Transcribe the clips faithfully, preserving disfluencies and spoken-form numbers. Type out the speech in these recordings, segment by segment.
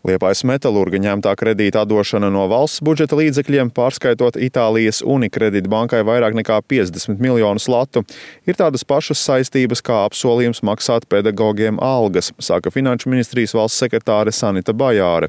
Liepājas metalurga ņemtā kredīta atdošana no valsts budžeta līdzekļiem, pārskaitot Itālijas Unicredit bankai vairāk nekā piecdesmit miljonus latu, ir tādas pašas saistības kā apsolījums maksāt pedagogiem algas, saka Finanšu ministrijas valsts sekretāre Sanita Bajāre.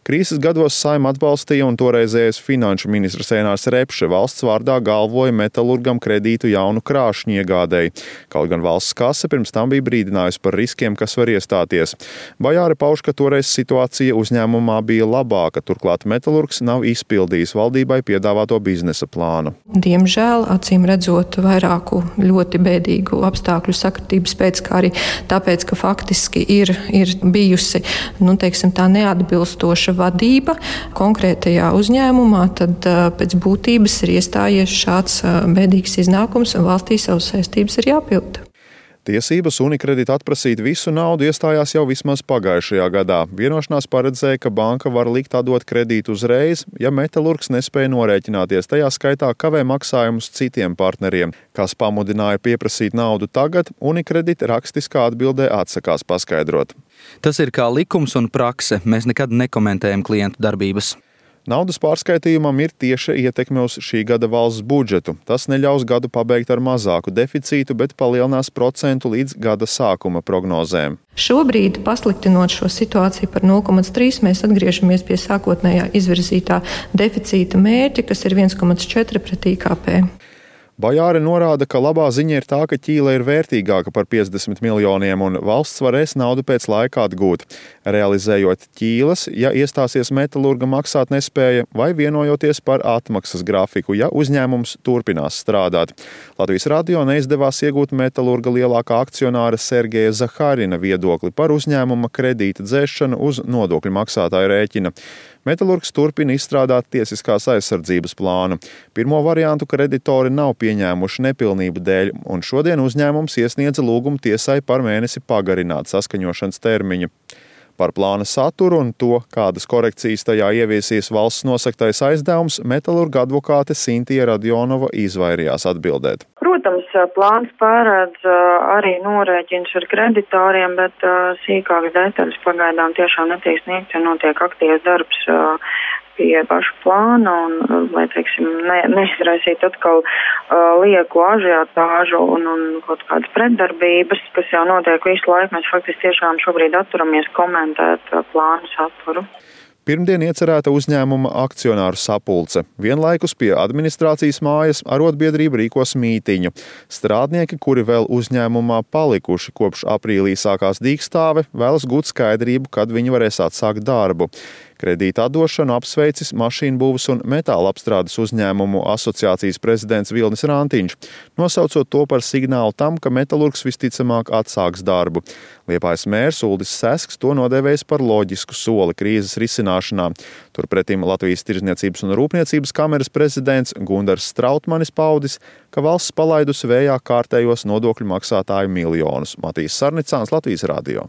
Krīzes gados Saeima atbalstīja un toreizējais finanšu ministrs Ēnārs Repše valsts vārdā galvoja metalurgam kredītu jaunu krāšņu iegādēji. Kaut gan valsts kase pirms tam bija brīdinājusi par riskiem, kas var iestāties. Bajāre pauž, ka toreiz situācija uzņēmumā bija labāka, turklāt metalurgs nav izpildījis valdībai piedāvāto biznesa plānu. Diemžēl, acīm redzot, vairāku ļoti bēdīgu apstākļu sakritības pēc, kā arī tāpēc, ka faktiski ir, ir bijusi, nu, teiksim, tā neatbilstoša vadība konkrētajā uzņēmumā, tad pēc būtības ir iestājies šāds bēdīgs iznākums un valstī savas saistības ir jāpilda. Tiesības Unicredit atprasīt visu naudu iestājās jau vismaz pagājušajā gadā. Vienošanās paredzēja, ka banka var likt atdot kredītu uzreiz, ja metalurgs nespēja norēķināties, tajā skaitā kavē maksājumus citiem partneriem. Kas pamudināja pieprasīt naudu tagad, Unicredit rakstiskā atbildē atsakās paskaidrot. Tas ir kā likums un prakse. Mēs nekad nekomentējam klientu darbības. Naudas pārskaitījumam ir tieša ietekme uz šī gada valsts budžetu. Tas neļaus gadu pabeigt ar mazāku deficītu, bet palielinās procentu līdz gada sākuma prognozēm. Šobrīd, pasliktinot šo situāciju par nulle komats trīs, mēs atgriežamies pie sākotnējā izvirzītā deficīta mērķa, kas ir viens komats četri pret I K P. Bajāre norāda, ka labā ziņa ir tā, ka ķīle ir vērtīgāka par piecdesmit miljoniem un valsts varēs naudu pēc laika atgūt. Realizējot ķīles, ja iestāsies metalurga maksāt nespēja vai vienojoties par atmaksas grafiku, ja uzņēmums turpinās strādāt. Latvijas radio neizdevās iegūt metalurga lielākā akcionāra Sergeja Zaharina viedokli par uzņēmuma kredīta dzēšanu uz nodokļu maksātāju rēķina. Metalurgs turpina izstrādāt tiesiskās aizsardzības plānu. Pirmo variantu kreditori nav pieņēmuši nepilnību dēļ, un šodien uzņēmums iesniedza lūgumu tiesai par mēnesi pagarināt saskaņošanas termiņu. Par plāna saturu un to, kādas korekcijas tajā ieviesīs valsts nosaktais aizdevums, metalurga advokāte Sintija Radionova izvairījās atbildēt. Protams, plāns pārēdz arī norēķins ar kreditoriem, bet sīkākas detaļas pagaidām tiešām netiek sniegts, jo notiek aktīvs darbs pie paša plāna un, lai, teiksim, ne, neizraisīt atkal uh, lieku ažiotāžu un, un kaut kādas pretdarbības, kas jau notiek visu laiku. Mēs faktiski tiešām šobrīd atturamies komentēt uh, plānu saturu. Pirmdien iecerēta uzņēmuma akcionāru sapulce. Vienlaikus pie administrācijas mājas arotbiedrība rīkos mītiņu. Strādnieki, kuri vēl uzņēmumā palikuši kopš aprīlī sākās dīkstāve, vēlas gūt skaidrību, kad viņi varēs atsākt darbu. Kredīta atdošanu apsveicis mašīnu būvas un metāla apstrādes uzņēmumu asociācijas prezidents Vilnis Rantiņš, nosaucot to par signālu tam, ka metalurgs visticamāk atsāks darbu. Liepājas mērs Uldis Sesks to nodēvējis par loģisku soli krīzes risināšanā. Turpretim Latvijas Tirdzniecības un Rūpniecības kameras prezidents Gundars Strautmanis paudis, ka valsts palaidusi vējā kārtējos nodokļu maksātāju miljonus. Matīs Sarnicāns, Latvijas radio.